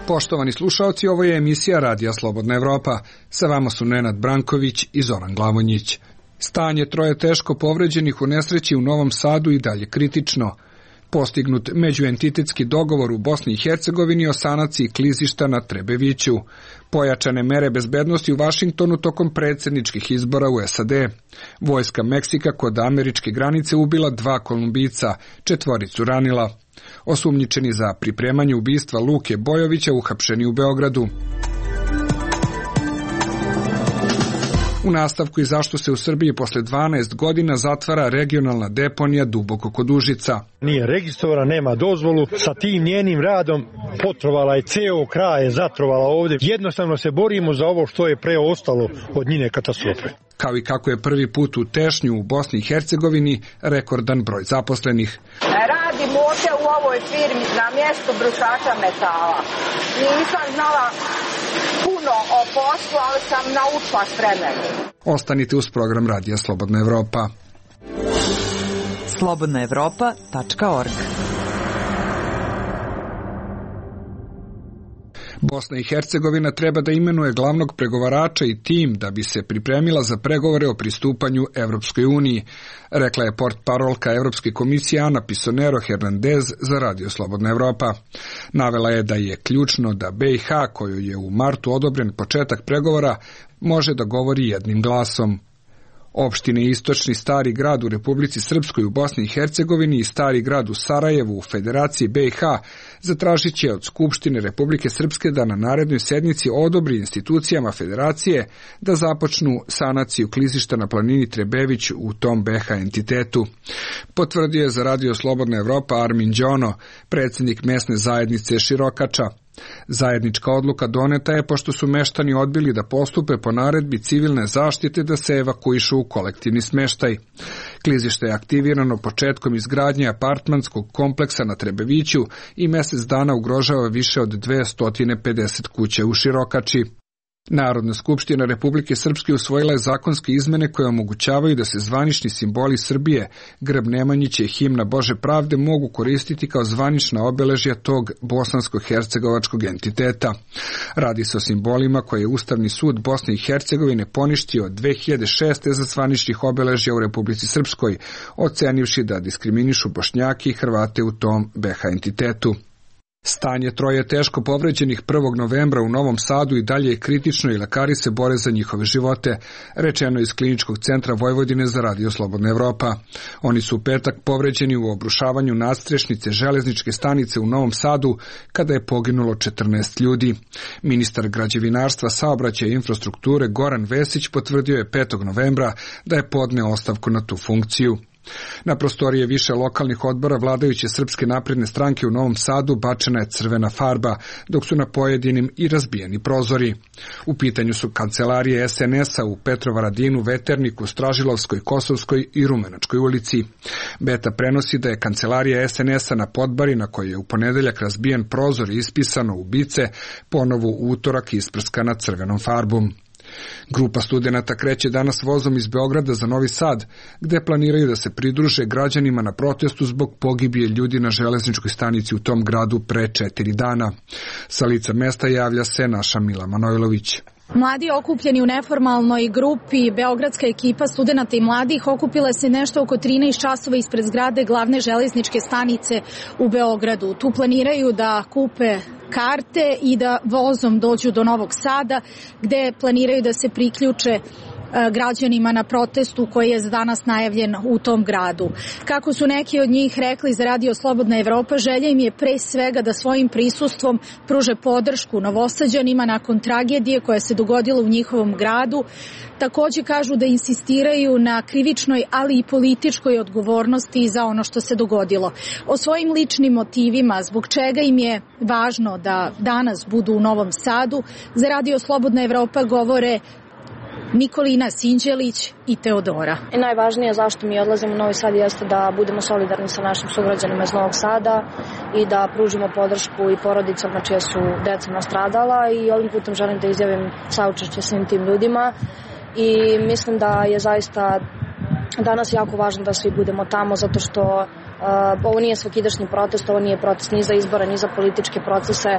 Poštovani slušaoci, ovo je emisija Radija Slobodna Evropa. Sa vama su Nenad Branković i Zoran Glavonjić. Stanje troje teško povređenih u nesreći u Novom Sadu i dalje kritično. Postignut međuentitetski dogovor u Bosni i Hercegovini o sanaciji klizišta na Trebeviću. Pojačane mere bezbednosti u Vašingtonu tokom predsjedničkih izbora u SAD. Vojska Meksika kod američke granice ubila 2 Kolumbijca, 4 ranila. Osumnjičeni za pripremanje ubistva Luke Bojovića uhapšeni u Beogradu. U nastavku i zašto se u Srbiji posle 12 godina zatvara regionalna deponija Duboko kod Užica. Nije registrovana, nema dozvolu, sa tim njenim radom potrovala je ceo kraj, je zatrovala ovdje. Jednostavno se borimo za ovo što je preostalo od njene katastrofe. Kao i kako je prvi put u Tešnju u Bosni i Hercegovini rekordan broj zaposlenih. Radim ovdje u ovoj firmi na mjestu brusača metala. Nisam znala puno o poslu, ali sam naučila s vremenom. Ostanite uz program Radija Slobodna Evropa. slobodnaevropa.org. Bosna i Hercegovina treba da imenuje glavnog pregovarača i tim da bi se pripremila za pregovore o pristupanju Evropskoj uniji, rekla je portparolka Evropske komisije Ana Pisonero Hernandez za Radio Slobodna Evropa. Navela je da je ključno da BiH, koju je u martu odobren početak pregovora, može da govori jednim glasom. Opštine Istočni Stari grad u Republici Srpskoj u Bosni i Hercegovini i Stari grad u Sarajevu u Federaciji BiH zatražit će od Skupštine Republike Srpske da na narednoj sednici odobri institucijama Federacije da započnu sanaciju klizišta na planini Trebević u tom BiH entitetu. Potvrdio je za Radio Slobodna Evropa Armin Đono, predsjednik mesne zajednice Širokača. Zajednička odluka doneta je pošto su meštani odbili da postupe po naredbi civilne zaštite da se evakuišu u kolektivni smeštaj. Klizište je aktivirano početkom izgradnje apartmanskog kompleksa na Trebeviću i mjesec dana ugrožava više od 250 kuća u Širokači. Narodna skupština Republike Srpske usvojila je zakonske izmene koje omogućavaju da se zvanični simboli Srbije, grb Nemanjića i himna Bože pravde mogu koristiti kao zvanična obeležja tog bosansko-hercegovačkog entiteta. Radi se o simbolima koje je Ustavni sud Bosne i Hercegovine poništio 2006. za zvaničnih obeležja u Republici Srpskoj, ocenivši da diskriminišu Bošnjake i Hrvate u tom BiH entitetu. Stanje troje teško povređenih 1. novembra u Novom Sadu i dalje je kritično i lekari se bore za njihove živote, rečeno iz Kliničkog centra Vojvodine za Radio Slobodna Evropa. Oni su u petak povređeni u obrušavanju nadstrešnice železničke stanice u Novom Sadu kada je poginulo 14 ljudi. Ministar građevinarstva, saobraćaja i infrastrukture Goran Vesić potvrdio je 5. novembra da je podneo ostavku na tu funkciju. Na prostorije više lokalnih odbora vladajuće Srpske napredne stranke u Novom Sadu bačena je crvena farba, dok su na pojedinim i razbijeni prozori. U pitanju su kancelarije SNS-a u Petrovaradinu, Veterniku, Stražilovskoj, Kosovskoj i Rumenačkoj ulici. Beta prenosi da je kancelarija SNS-a na Podbari, na kojoj je u ponedeljak razbijen prozor i ispisano ubice, ponovo u utorak isprskana crvenom farbom. Grupa studenata kreće danas vozom iz Beograda za Novi Sad, gde planiraju da se pridruže građanima na protestu zbog pogibije ljudi na železničkoj stanici u tom gradu pre 4 dana. Sa lica mesta javlja se naša Mila Manojlović. Mladi okupljeni u neformalnoj grupi, beogradska ekipa studenata i mladih okupila se nešto oko 13 časova ispred zgrade glavne železničke stanice u Beogradu. Tu planiraju da kupe karte i da vozom dođu do Novog Sada, gde planiraju da se priključe građanima na protestu koji je danas najavljen u tom gradu. Kako su neki od njih rekli za Radio Slobodna Evropa, želja im je pre svega da svojim prisustvom pruže podršku Novosađanima nakon tragedije koja se dogodila u njihovom gradu. Takođe kažu da insistiraju na krivičnoj, ali i političkoj odgovornosti za ono što se dogodilo. O svojim ličnim motivima, zbog čega im je važno da danas budu u Novom Sadu, za Radio Slobodna Evropa govore Nikolina Sinđelić i Teodora. I najvažnije zašto mi odlazimo u Novi Sad jeste da budemo solidarni sa našim sugrađanima iz Novog Sada i da pružimo podršku i porodicama čije su deca nastradala, i ovim putem želim da izjavim saučešće svim tim ljudima i mislim da je zaista danas jako važno da svi budemo tamo, zato što Ovo nije svakidašnji protest, ovo nije protest ni za izbore, ni za političke procese,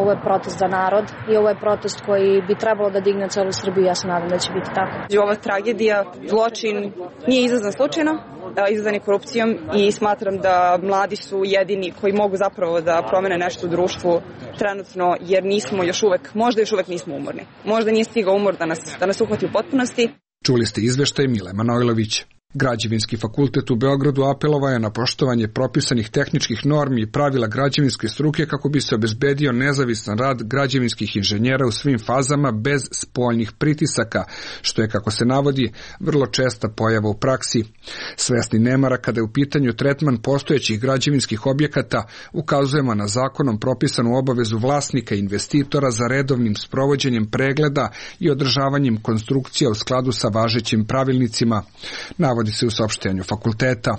ovo je protest za narod i ovo je protest koji bi trebalo da digne celu Srbiju, ja se nadam da će biti tako. Ova tragedija, zločin nije izazvan slučajno, izazvan je korupcijom i smatram da mladi su jedini koji mogu zapravo da promene nešto u društvu trenutno, jer nismo još uvek, možda još uvek nismo umorni. Možda nije stigao umor da nas uhvati u potpunosti. Čuli ste izveštaj Mile Manojlović. Građevinski fakultet u Beogradu apelovao je na poštovanje propisanih tehničkih normi i pravila građevinske struke kako bi se obezbedio nezavisan rad građevinskih inženjera u svim fazama bez spoljnih pritisaka, što je, kako se navodi, vrlo česta pojava u praksi. Svesni nemara kada je u pitanju tretman postojećih građevinskih objekata, ukazujemo na zakonom propisanu obavezu vlasnika i investitora za redovnim sprovođenjem pregleda i održavanjem konstrukcija u skladu sa važećim pravilnicima, navodi se u saopštenju fakulteta.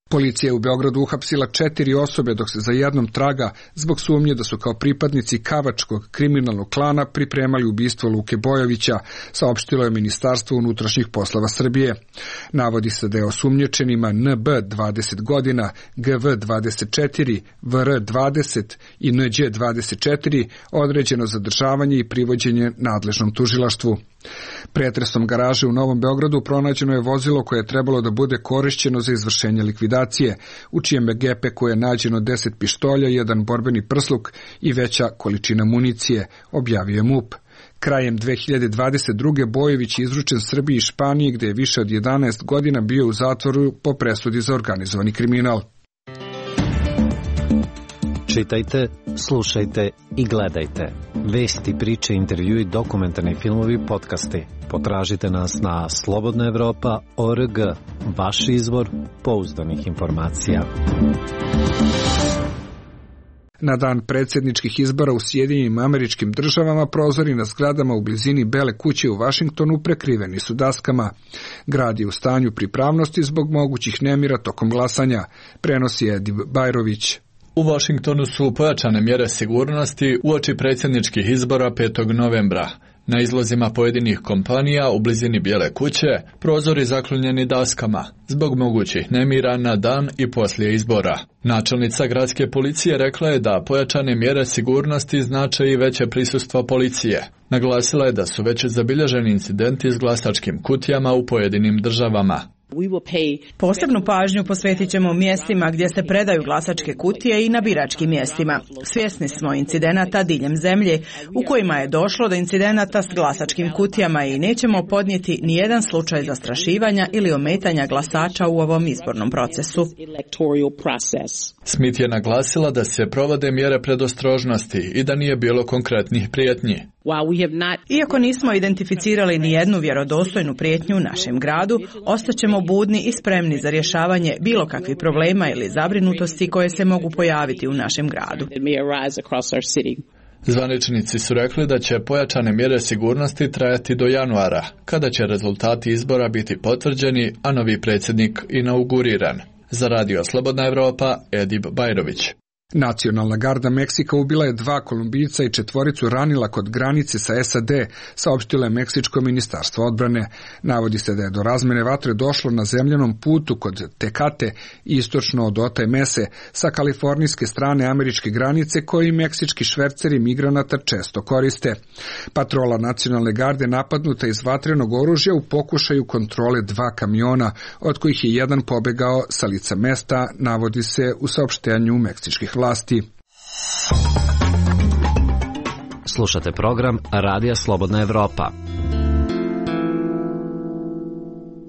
Policija je u Beogradu uhapsila 4 osobe dok se za jednom traga zbog sumnje da su kao pripadnici kavačkog kriminalnog klana pripremali ubistvo Luke Bojovića, saopštilo je Ministarstvo unutrašnjih poslova Srbije. Navodi se da je osumnjičenima NB 20 godina, GV 24, VR 20 i Nđ 24 određeno zadržavanje i privođenje nadležnom tužilaštvu. Pretresom garaže u Novom Beogradu pronađeno je vozilo koje je trebalo da bude korišćeno za izvršenje likvidacije, u čijem gepeku je nađeno 10 pištolja, 1 borbeni prsluk i veća količina municije, objavio je MUP. Krajem 2022. Bojović je izručen Srbiji i Španiji, gde je više od 11 godina bio u zatvoru po presudi za organizovani kriminal. Čitajte, slušajte i gledajte. Vesti, priče, intervjui, dokumentarni filmovi, podcasti. Potražite nas na slobodnaevropa.org, vaš izvor pouzdanih informacija. Na dan predsjedničkih izbora u Sjedinjenim Američkim Državama prozori na zgradama u blizini Bele kuće u Vašingtonu prekriveni su daskama. Grad je u stanju pripravnosti zbog mogućih nemira tokom glasanja, prenosi Edib Bajrović. U Washingtonu su pojačane mjere sigurnosti uoči predsjedničkih izbora 5. novembra. Na izlazima pojedinih kompanija u blizini Bijele kuće prozori zaklonjeni daskama zbog mogućih nemira na dan i poslije izbora. Načelnica gradske policije rekla je da pojačane mjere sigurnosti znače i veće prisustvo policije. Naglasila je da su već zabilježeni incidenti s glasačkim kutijama u pojedinim državama. Posebnu pažnju posvetit ćemo mjestima gdje se predaju glasačke kutije i na biračkim mjestima. Svjesni smo incidenata diljem zemlje u kojima je došlo do incidenata s glasačkim kutijama i nećemo podnijeti nijedan slučaj zastrašivanja ili ometanja glasača u ovom izbornom procesu. Smith je naglasila da se provode mjere predostrožnosti i da nije bilo konkretnih prijetnji. Iako nismo identificirali ni jednu vjerodostojnu prijetnju u našem gradu, ostaćemo budni i spremni za rješavanje bilo kakvih problema ili zabrinutosti koje se mogu pojaviti u našem gradu. Zvaničnici su rekli da će pojačane mjere sigurnosti trajati do januara, kada će rezultati izbora biti potvrđeni, a novi predsjednik inauguriran. Za Radio Slobodna Evropa, Edib Bajrović. Nacionalna garda Meksika ubila je 2 Kolumbijca i 4 ranila kod granice sa SAD, saopštilo je Meksičko ministarstvo odbrane. Navodi se da je do razmene vatre došlo na zemljanom putu kod Tekate, istočno od Otay Mese, sa kalifornijske strane američke granice, koji meksički šverceri migranata često koriste. Patrola nacionalne garde napadnuta iz vatrenog oružja u pokušaju kontrole 2 kamiona, od kojih je jedan pobegao sa lica mesta, navodi se u saopštenju meksičkih vlasti. Slušate program Radija Slobodna Evropa.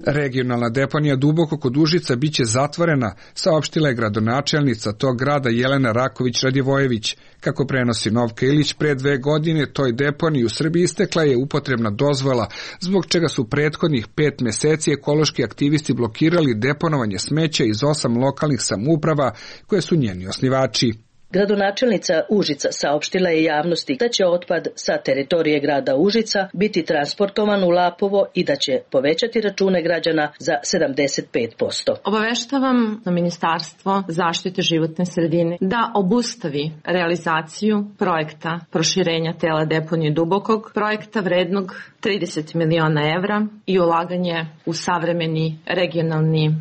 Regionalna deponija Duboko kod Užica biće zatvorena, saopštila je gradonačelnica tog grada Jelena Raković-Radivojević. Kako prenosi Novka Ilić, pre 2 godine toj deponiji u Srbiji istekla je upotrebna dozvola, zbog čega su prethodnih 5 mjeseci ekološki aktivisti blokirali deponovanje smeća iz 8 lokalnih samouprava koje su njeni osnivači. Gradonačelnica Užica saopštila je javnosti da će otpad sa teritorije grada Užica biti transportovan u Lapovo i da će povećati račune građana za 75%. Obaveštavam na Ministarstvo zaštite životne sredine da obustavi realizaciju projekta proširenja tela deponije Dubokog, projekta vrednog 30 miliona evra i ulaganje u savremeni regionalni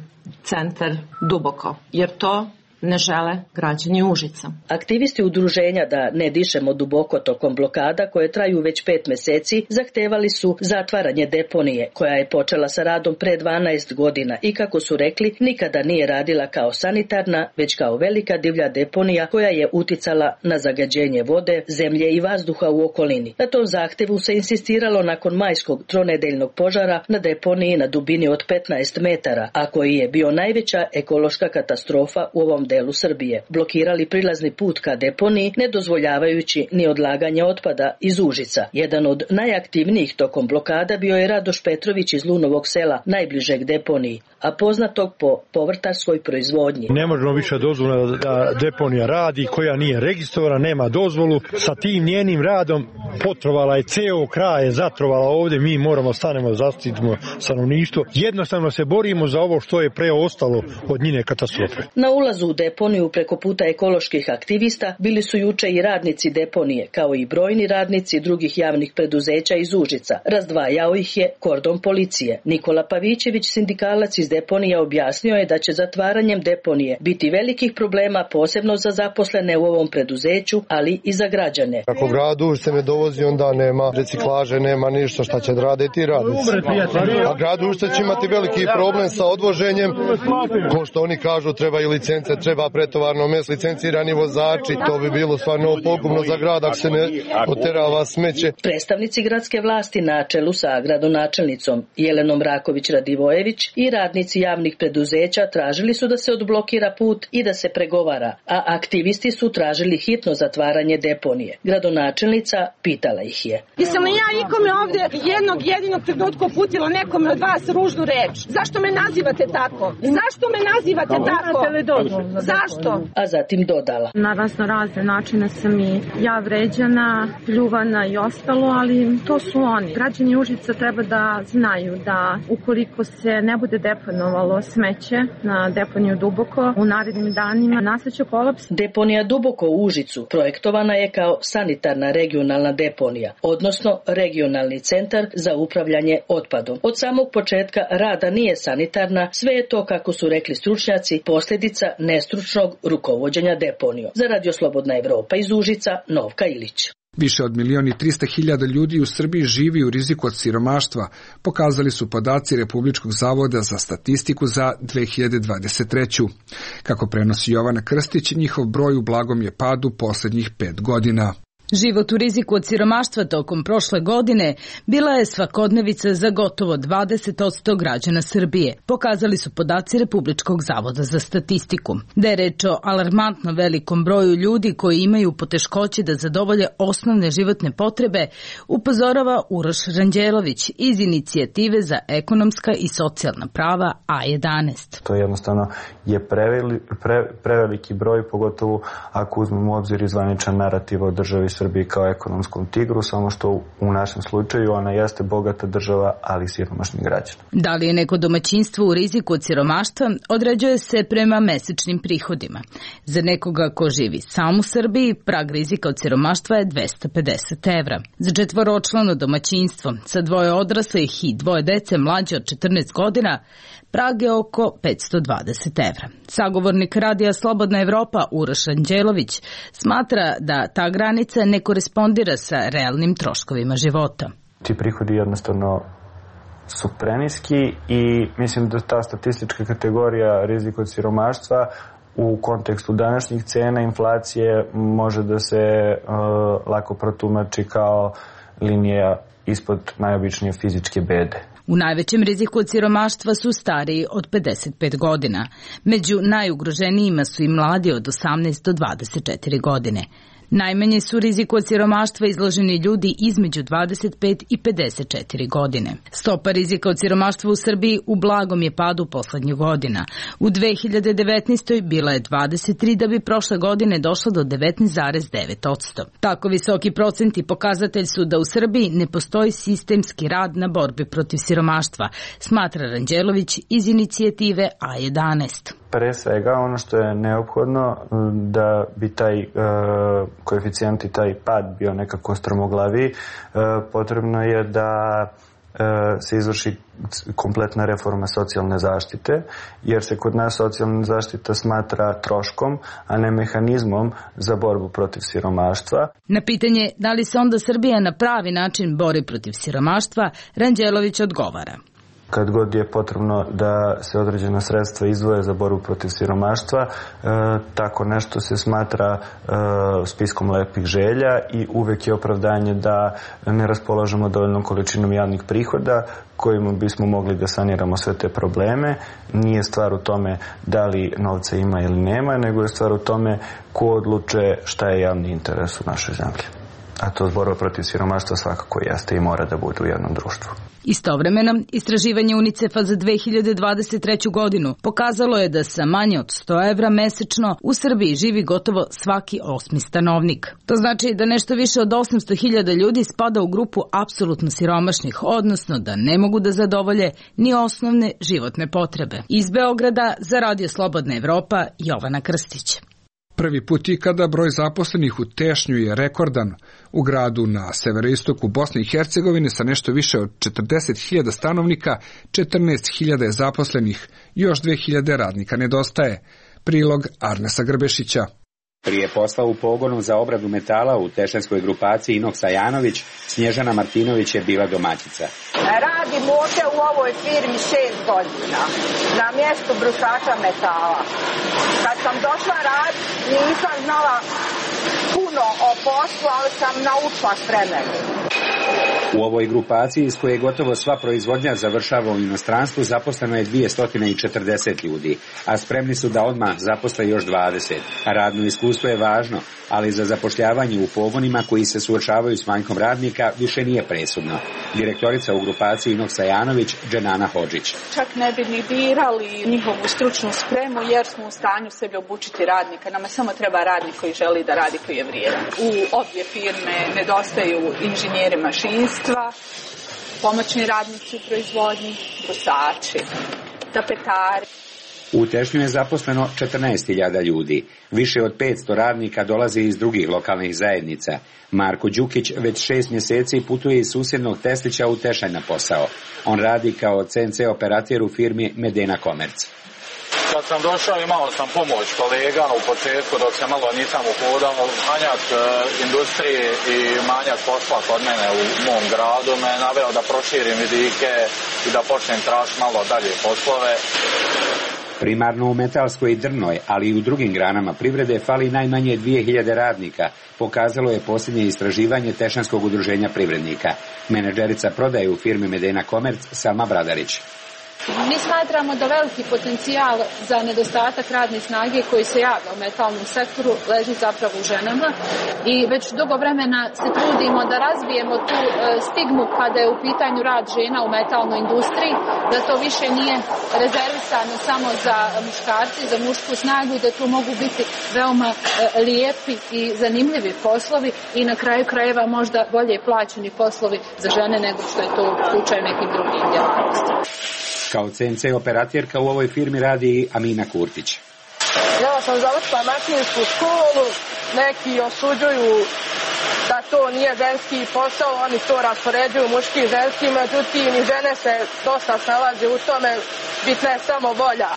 centar Duboko, jer to ne žele građani Užica. Aktivisti udruženja Da ne dišemo duboko tokom blokada koje traju već 5 meseci zahtevali su zatvaranje deponije koja je počela sa radom pre 12 godina i kako su rekli nikada nije radila kao sanitarna već kao velika divlja deponija koja je uticala na zagađenje vode, zemlje i vazduha u okolini. Na tom zahtevu se insistiralo nakon majskog tronedeljnog požara na deponiji na dubini od 15 metara, a koji je bio najveća ekološka katastrofa u ovom delu Srbije. Blokirali prilazni put ka deponiji, ne dozvoljavajući ni odlaganje otpada iz Užica. Jedan od najaktivnijih tokom blokada bio je Radoš Petrović iz Lunovog sela, najbližeg deponiji, a poznatog po povrtarskoj proizvodnji. Ne možemo više dozvoliti da deponija radi koja nije registrovana, nema dozvolu. Sa tim njenim radom potrovala je ceo kraj, zatrovala ovdje, mi moramo stanemo, zaštitimo stanovništvo. Jednostavno se borimo za ovo što je preostalo od njene katastrofe. Na ulazu u deponiju preko puta ekoloških aktivista bili su juče i radnici deponije, kao i brojni radnici drugih javnih preduzeća iz Užica. Razdvajao ih je kordon policije. Nikola Pavićević, sindikalac iz deponije, objasnio je da će zatvaranjem deponije biti velikih problema posebno za zaposlene u ovom preduzeću, ali i za građane. Ako grad Užice ne dovozi, onda nema reciklaže, nema ništa, šta će raditi radnici. A grad Užice će imati veliki problem sa odvoženjem, ko što oni kažu trebaju licence, treba pretovarno mesto, licencirani vozači, to bi bilo stvarno pogubno za grad ako se ne oterava smeće. Predstavnici gradske vlasti na čelu sa gradonačelnicom Jelenom Raković-Radivojević i radnici javnih preduzeća tražili su da se odblokira put i da se pregovara, a aktivisti su tražili hitno zatvaranje deponije. Gradonačelnica pitala ih je. Jesam li ja ikome ovdje jednog jedinog trenutka uputila nekome od vas ružnu reč? Zašto me nazivate tako? Zašto me nazivate tako? Zašto? A zatim dodala. Na razne načine sam i ja vređana, pljuvana i ostalo, ali to su oni. Građani Užica treba da znaju da ukoliko se ne bude deponovalo smeće na deponiju Duboko, u narednim danima nastaće kolaps. Deponija Duboko u Užicu projektovana je kao sanitarna regionalna deponija, odnosno regionalni centar za upravljanje otpadom. Od samog početka rada nije sanitarna, sve je to, kako su rekli stručnjaci, posljedica nestručnog rukovođenja deponijom. Za Radio Slobodna Evropa iz Užica, Novka Ilić. Više od 1.300.000 ljudi u Srbiji živi u riziku od siromaštva, pokazali su podaci Republičkog zavoda za statistiku za 2023. Kako prenosi Jovana Krstić, njihov broj u blagom je padu posljednjih 5 godina. Život u riziku od siromaštva tokom prošle godine bila je svakodnevica za gotovo 20% građana Srbije, pokazali su podaci Republičkog zavoda za statistiku. Da je reč o alarmantno velikom broju ljudi koji imaju poteškoće da zadovolje osnovne životne potrebe, upozorava Uroš Ranđelović iz Inicijative za ekonomska i socijalna prava A11. To jednostavno je preveliki broj, pogotovo ako uzmemo u obzir i zvaničan narativ o državi Srbiji kao ekonomskom tigru, samo što u našem slučaju ona jeste bogata država, ali siromašni građani. Da li je neko domaćinstvo u riziku od siromaštva, određuje se prema mesečnim prihodima. Za nekoga ko živi sam u Srbiji, prag rizika od siromaštva je 250 evra. Za četvoročlano domaćinstvo sa 2 odraslih i 2 dece mlađe od 14 godina, prag je oko 520 evra. Sagovornik Radija Slobodna Evropa Uroš Ranđelović smatra da ta granica ne korespondira sa realnim troškovima života. Ti prihodi jednostavno su preniski i mislim da ta statistička kategorija rizika od siromaštva u kontekstu današnjih cena inflacije može da se lako protumači kao linija ispod najobičnije fizičke bede. U najvećem riziku od siromaštva su stariji od 55 godina. Među najugroženijima su i mladi od 18 do 24 godine. Najmanje su riziku od siromaštva izloženi ljudi između 25 i 54 godine. Stopa rizika od siromaštva u Srbiji u blagom je padu poslednjih godina. U 2019. bila je 23, da bi prošle godine došla do 19,9%. Tako visoki procenti pokazatelj su da u Srbiji ne postoji sistemski rad na borbi protiv siromaštva, smatra Ranđelović iz Inicijative A11. Pre svega ono što je neophodno da bi taj koeficijent i taj pad bio nekako strmoglaviji, potrebno je da se izvrši kompletna reforma socijalne zaštite, jer se kod nas socijalna zaštita smatra troškom, a ne mehanizmom za borbu protiv siromaštva. Na pitanje da li se onda Srbija na pravi način bori protiv siromaštva, Ranđelović odgovara. Kad god je potrebno da se određena sredstva izdvoje za borbu protiv siromaštva, tako nešto se smatra spiskom lepih želja i uvek je opravdanje da ne raspolažemo dovoljnom količinom javnih prihoda kojima bismo mogli da saniramo sve te probleme. Nije stvar u tome da li novca ima ili nema, nego je stvar u tome ko odluče šta je javni interes u našoj zemlji. A to borba protiv siromaštva svakako jeste i mora da bude u jednom društvu. Istovremeno, istraživanje UNICEF-a za 2023. godinu pokazalo je da sa manje od 100 evra mesečno u Srbiji živi gotovo svaki 8. stanovnik. To znači da nešto više od 800.000 ljudi spada u grupu apsolutno siromašnih, odnosno da ne mogu da zadovolje ni osnovne životne potrebe. Iz Beograda za Radio Slobodna Evropa, Jovana Krstić. Prvi put ikada broj zaposlenih u Tešnju je rekordan. U gradu na severoistoku Bosne i Hercegovine sa nešto više od 40.000 stanovnika, 14.000 je zaposlenih, još 2.000 radnika nedostaje. Prilog Arnesa Grbešića. Prije posla u pogonu za obradu metala u tešanskoj grupaciji Inox Sajanović, Snježana Martinović je bila domaćica. Radim ovdje u ovoj firmi 6 godina, na mjestu brusača metala. Kad sam došla raditi, nisam znala puno o poslu, ali sam naučila s vremenom. U ovoj grupaciji iz koje gotovo sva proizvodnja završava u inostranstvu zaposleno je 240 ljudi, a spremni su da odmah zaposle još 20. Radno iskustvo je važno, ali za zapošljavanje u pogonima koji se suočavaju s manjkom radnika više nije presudno. Direktorica u grupaciji Inox Sajanović, Dženana Hodžić. Čak ne bi ni birali njihovu stručnu spremu jer smo u stanju sebi obučiti radnika. Nama samo treba radnik koji želi da radi, koji je vrijedan. U obje firme nedostaju inženjeri mašinstva, pomoćni radnici u proizvodnji, brusači, tapetari. U Tešnju je zaposleno 14.000 ljudi. Više od 500 radnika dolazi iz drugih lokalnih zajednica. Marko Đukić već 6 mjeseci putuje iz susjednog Teslića u Tešanj na posao. On radi kao CNC operater u firmi Medena Komerc. Kad sam došao imao sam pomoć kolega u početku dok se malo nisam uhodao. Manjak industrije i manjak posla kod mene u mom gradu me naveo da proširim vidike i da počnem tražiti malo dalje poslove. Primarno u metalskoj i drvnoj, ali i u drugim granama privrede fali najmanje 2.000 radnika, pokazalo je posljednje istraživanje Tešanskog udruženja privrednika. Menadžerica prodaje u firmi Medena Komerc Selma Bradarić. Mi smatramo da veliki potencijal za nedostatak radne snage koji se javlja u metalnom sektoru leži zapravo u ženama i već dugo vremena se trudimo da razbijemo tu stigmu kada je u pitanju rad žena u metalnoj industriji, da to više nije rezervisano samo za muškarce, za mušku snagu i da tu mogu biti veoma lijepi i zanimljivi poslovi i na kraju krajeva možda bolje plaćeni poslovi za žene nego što je to slučaj nekih drugih djelatnosti. Kao CNC operaterka u ovoj firmi radi i Amina Kurtić. Ja sam završila mašinsku školu, neki osuđuju da to nije ženski posao, oni to raspoređuju muški i ženski, međutim i žene se dosta snalaze u tome, bitna je samo volja.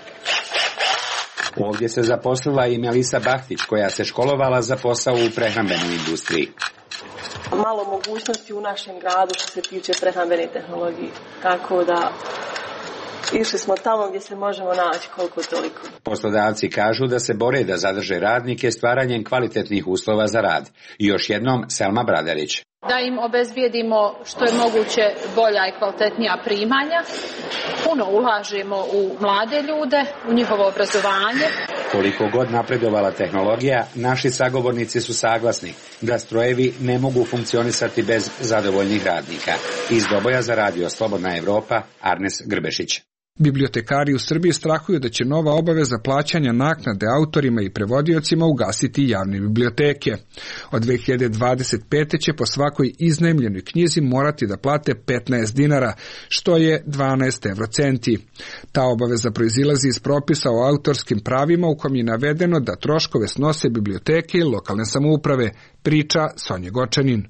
Ovdje se zaposlila i Melisa Bahtić, koja se školovala za posao u prehrambenoj industriji. Malo mogućnosti u našem gradu što se tiče prehrambene tehnologije, tako da išli smo tamo gdje se možemo naći koliko toliko. Poslodavci kažu da se bore da zadrže radnike stvaranjem kvalitetnih uslova za rad. I još jednom Selma Bradarić. Da im obezbijedimo što je moguće bolja i kvalitetnija primanja. Puno ulažemo u mlade ljude, u njihovo obrazovanje. Koliko god napredovala tehnologija, naši sagovornici su saglasni da strojevi ne mogu funkcionisati bez zadovoljnih radnika. Iz Doboja za Radio Slobodna Evropa, Arnes Grbešić. Bibliotekari u Srbiji strahuju da će nova obaveza plaćanja naknade autorima i prevodiocima ugasiti javne biblioteke. Od 2025. će po svakoj iznajmljenoj knjizi morati da plate 15 dinara, što je 12 eurocenti. Ta obaveza proizilazi iz propisa o autorskim pravima u kom je navedeno da troškove snose biblioteke i lokalne samouprave, priča Sonja Gočanin.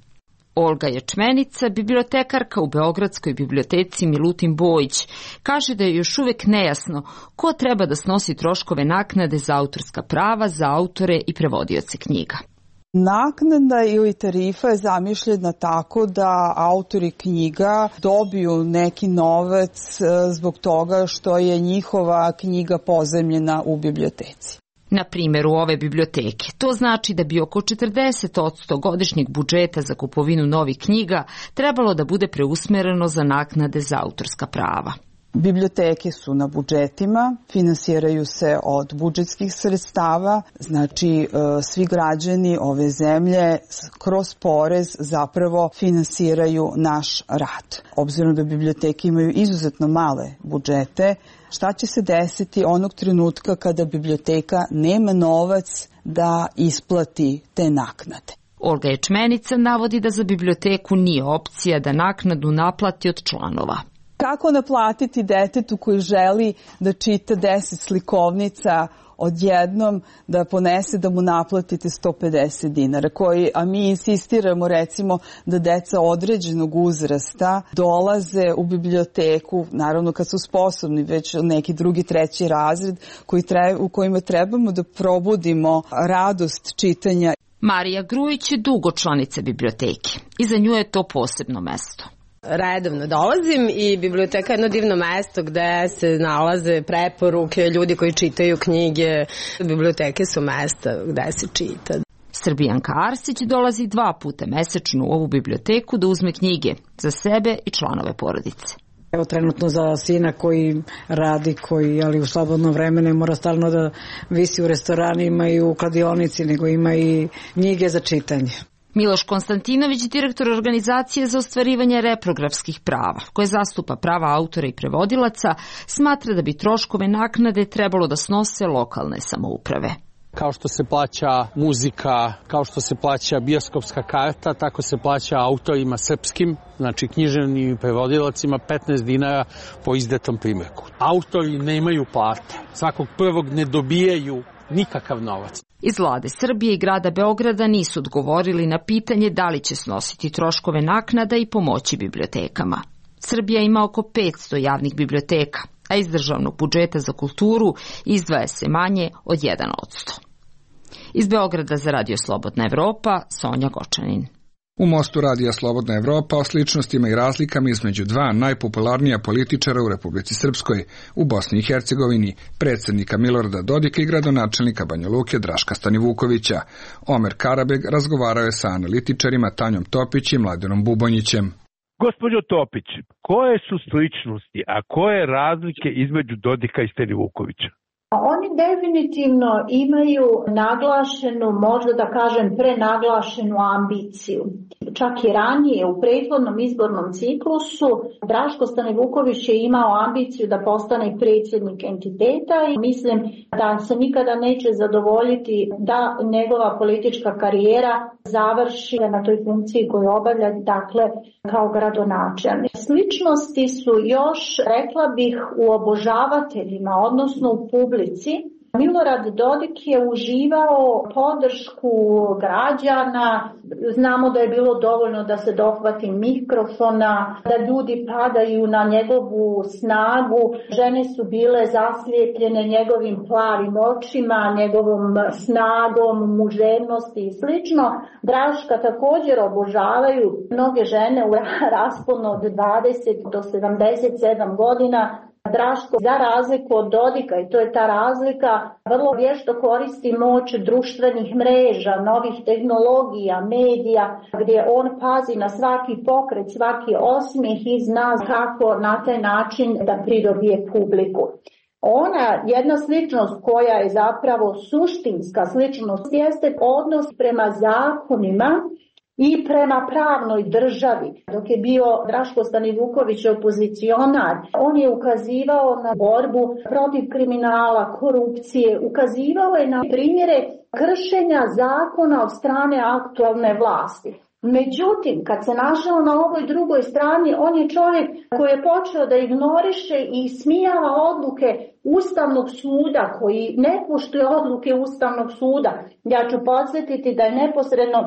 Olga Ječmenica, bibliotekarka u Beogradskoj biblioteci Milutin Bojić, kaže da je još uvek nejasno ko treba da snosi troškove naknade za autorska prava za autore i prevodioce knjiga. Naknada ili tarifa je zamišljena tako da autori knjiga dobiju neki novac zbog toga što je njihova knjiga pozajmljena u biblioteci. Na primjeru ove biblioteke, to znači da bi oko 40% godišnjeg budžeta za kupovinu novih knjiga trebalo da bude preusmereno za naknade za autorska prava. Biblioteke su na budžetima, finansiraju se od budžetskih sredstava, znači svi građani ove zemlje kroz porez zapravo finansiraju naš rad. Obzirom da biblioteke imaju izuzetno male budžete, šta će se desiti onog trenutka kada biblioteka nema novac da isplati te naknade? Olga Ječmenica navodi da za biblioteku nije opcija da naknadu naplati od članova. Kako naplatiti detetu koji želi da čita 10 slikovnica odjednom da ponese da mu naplatite 150 dinara, a mi insistiramo recimo da deca određenog uzrasta dolaze u biblioteku, naravno kad su sposobni, već neki drugi, treći razred u kojima trebamo da probudimo radost čitanja. Marija Grujić je dugo članica biblioteke i za nju je to posebno mesto. Redovno dolazim i biblioteka je jedno divno mesto gde se nalaze preporuke, ljudi koji čitaju knjige. Biblioteke su mesta gde se čita. Srbijanka Arsić dolazi 2 puta mesečno u ovu biblioteku da uzme knjige za sebe i članove porodice. Evo trenutno za sina koji radi, ali u slobodno vreme ne mora stalno da visi u restoranima i u kladionici, nego ima i knjige za čitanje. Miloš Konstantinović, direktor organizacije za ostvarivanje reprografskih prava, koje zastupa prava autora i prevodilaca, smatra da bi troškove naknade trebalo da snose lokalne samouprave. Kao što se plaća muzika, kao što se plaća bioskopska karta, tako se plaća autorima srpskim, znači književnim prevodilacima 15 dinara po izdatom primjerku. Autori nemaju plate, svakog prvog ne dobijaju nikakav novac. Iz vlade Srbije i grada Beograda nisu odgovorili na pitanje da li će snositi troškove naknada i pomoći bibliotekama. Srbija ima oko 500 javnih biblioteka, a iz državnog budžeta za kulturu izdvaja se manje od 1%. Iz Beograda za Radio Slobodna Evropa, Sonja Gočanin. U Mostu Radija Slobodna Evropa o sličnostima i razlikama između 2 najpopularnija političara u Republici Srpskoj, u Bosni i Hercegovini, predsjednika Milorada Dodika i gradonačelnika Banja Luke Draška Stanivukovića. Omer Karabeg razgovarao je sa analitičarima Tanjom Topić i Mladenom Bubonjićem. Gospođo Topić, koje su sličnosti, a koje razlike između Dodika i Stanivukovića? Oni definitivno imaju naglašenu, možda da kažem prenaglašenu ambiciju. Čak i ranije u prethodnom izbornom ciklusu Draško Stanivuković je imao ambiciju da postane predsjednik entiteta i mislim da se nikada neće zadovoljiti da njegova politička karijera završi na toj funkciji koju obavlja, dakle kao gradonačelnik. Sličnosti su još, rekla bih, u obožavateljima, odnosno u publici. Milorad Dodik je uživao podršku građana, znamo da je bilo dovoljno da se dohvati mikrofona, da ljudi padaju na njegovu snagu, žene su bile zaslijepljene njegovim plavim očima, njegovom snagom, muževnosti i slično. Draška također obožavaju mnoge žene u rasponu od 20 do 77 godina. Draško, za razliku od Dodika, i to je ta razlika, vrlo vješto koristi moć društvenih mreža, novih tehnologija, medija, gdje on pazi na svaki pokret, svaki osmijeh i zna kako na taj način da pridobije publiku. Ona, jedna sličnost koja je zapravo suštinska sličnost, jeste odnos prema zakonima i prema pravnoj državi. Dok je bio Draško Stanivuković opozicionar, on je ukazivao na borbu protiv kriminala, korupcije, ukazivao je na primjere kršenja zakona od strane aktualne vlasti. Međutim, kad se našao na ovoj drugoj strani, on je čovjek koji je počeo da ignoriše i ismijava odluke Ustavnog suda, koji ne poštuje odluke Ustavnog suda. Ja ću podsjetiti da je neposredno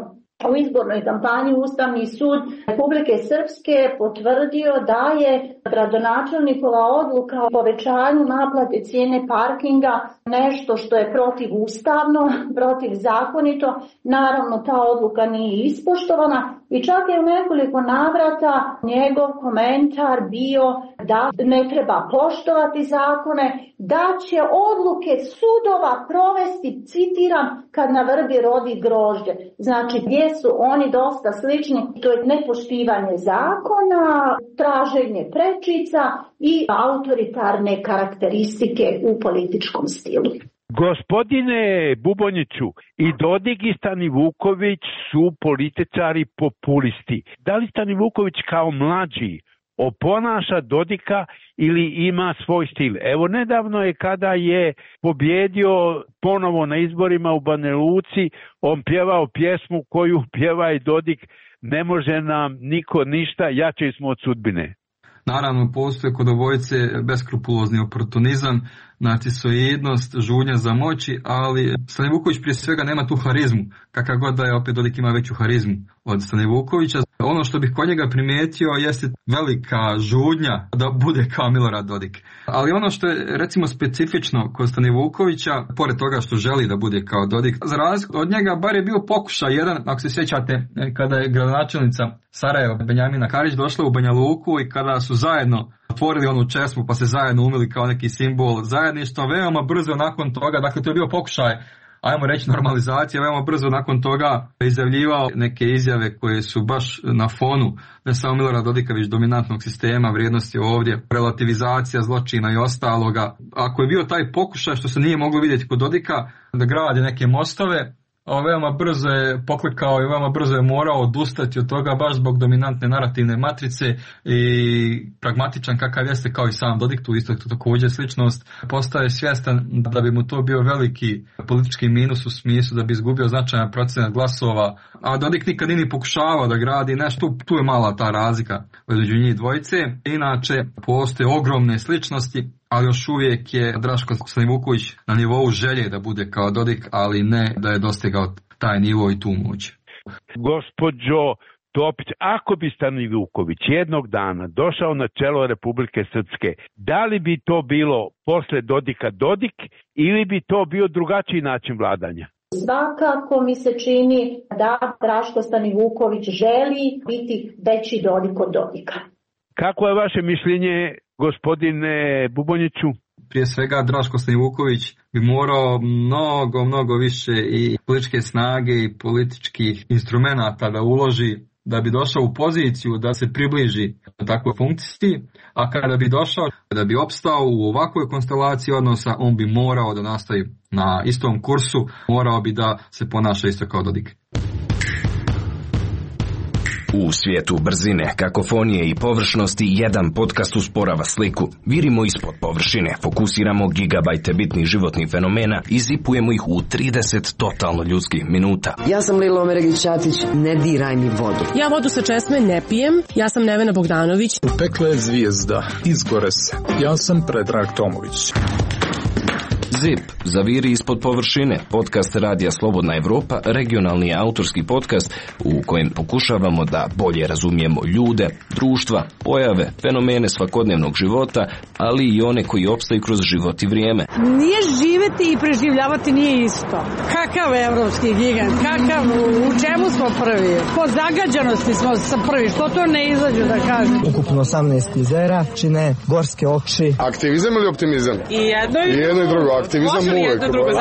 u izbornoj kampanji Ustavni sud Republike Srpske potvrdio da je gradonačelnikova odluka o povećanju naplate cijene parkinga nešto što je protivustavno, protivzakonito. Naravno, ta odluka nije ispoštovana i čak je u nekoliko navrata njegov komentar bio da ne treba poštovati zakone, da će odluke sudova provesti, citiram, kad na vrbi rodi grožđe. Znači, gdje su oni dosta slični, to je nepoštivanje zakona, traženje prečica i autoritarne karakteristike u političkom stilu. Gospodine Bubonjiću, i Dodik i Stanivuković su političari populisti. Da li Stanivuković kao mlađi oponaša Dodika ili ima svoj stil? Evo, nedavno je kada je pobjedio ponovo na izborima u Banja Luci, on pjevao pjesmu koju pjeva i Dodik: ne može nam niko ništa, jači smo od sudbine. Naravno, postoje kod obojice beskrupulozni oportunizam, narcisoidnost, žudnja za moći, ali Stanivuković prije svega nema tu harizmu, kakav god da je, opet Dodik ima veću harizmu od Stanivukovića. Ono što bih kod njega primijetio jeste velika žudnja da bude kao Milorad Dodik. Ali ono što je recimo specifično kod Stanivukovića, pored toga što želi da bude kao Dodik, za razliku od njega bar je bio pokušaj jedan, ako se sjećate, kada je gradonačelnica Sarajeva Benjamina Karić došla u Banja Luku i kada su zajedno otvorili onu česmu pa se zajedno umili kao neki simbol zajedništva, veoma brzo nakon toga, dakle to je bio pokušaj, ajmo reći, normalizacija, veoma brzo nakon toga izjavljivao neke izjave koje su baš na fonu ne samo Milorada Dodika, već dominantnog sistema, vrijednosti ovdje, relativizacija zločina i ostaloga. Ako je bio taj pokušaj, što se nije moglo vidjeti kod Dodika, da gradi neke mostove, veoma brzo je poklikao i veoma brzo je morao odustati od toga baš zbog dominantne narativne matrice i pragmatičan kakav jeste kao i sam Dodik, tu isto također sličnost, postaje svjestan da bi mu to bio veliki politički minus u smislu da bi izgubio značajan procenat glasova, a Dodik nikad nije pokušavao da gradi nešto, tu je mala ta razlika među njih dvojice. Inače, postoje ogromne sličnosti, ali još uvijek je Draško Stanivuković na nivou želje da bude kao Dodik, ali ne da je dostigao taj nivo i tu moć. Gospođo Topić, ako bi Stanivuković jednog dana došao na čelo Republike Srpske, da li bi to bilo posle Dodika Dodik ili bi to bio drugačiji način vladanja? Svakako mi se čini da Draško Stanivuković želi biti veći Dodik od Dodika. Kako je vaše mišljenje, gospodine Bubonjiću? Prije svega Draško Stanivuković bi morao mnogo više i političke snage i političkih instrumenata da uloži da bi došao u poziciju da se približi takvoj funkciji, a kada bi došao, da bi opstao u ovakvoj konstelaciji odnosa, on bi morao da nastavi na istom kursu, morao bi da se ponaša isto kao Dodik. U svijetu brzine, kakofonije i površnosti, jedan podcast usporava sliku. Virimo ispod površine, fokusiramo gigabajte bitnih životnih fenomena i zipujemo ih u 30 totalno ljudskih minuta. Ja sam Lilo Omeregić-Ćatić, ne diraj mi vodu. Ja vodu sa česme ne pijem, ja sam Nevena Bogdanović. Pekla je zvijezda, izgore se. Ja sam Predrag Tomović. ZIP, zaviri ispod površine, podcast Radija Slobodna Evropa, regionalni autorski podcast u kojem pokušavamo da bolje razumijemo ljude, društva, pojave, fenomene svakodnevnog života, ali i one koji opstaju kroz život i vrijeme. Nije živeti i preživljavati nije isto. Kakav evropski gigant, kakav, u čemu smo prvi? Po zagađanosti smo prvi, što to ne izađu da kažem? Ukupno 18 jezera, čine gorske oči. Aktivizam ili optimizam? I jedno i drugo. Aktivizam uvek.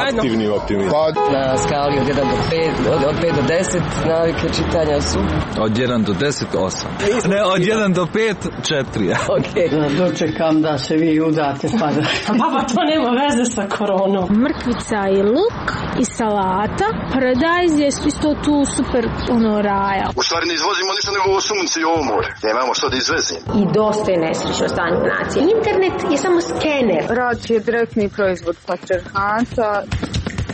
Aktivni optimizam. Na skali od 1 do 5, od 5 do 10 navike čitanja su? Od 1 do 10, 8. Ne, od 1 do 5, 4. Okej. Dočekam da se vi udate pa da... Baba, to nema veze sa koronom. Mrkvica i luk i salata. Paradajz je isto tu super raja. U stvari ne izvozimo ništa nego ovo sunce i ovo more. Nemamo što da izvezimo. I dosta je nesrećno stanje nacije. Internet je samo skener. Rad je direktni proizvod patrijarhata.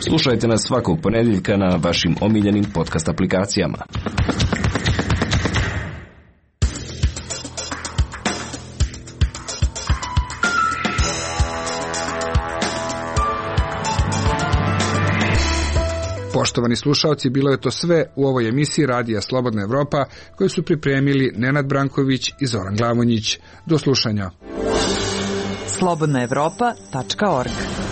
Slušajte nas svakog ponedjeljka na vašim omiljenim podcast aplikacijama. Poštovani slušaoci, bilo je to sve u ovoj emisiji Radija Slobodna Evropa koju su pripremili Nenad Branković i Zoran Glavonjić. Do slušanja. slobodnaevropa.org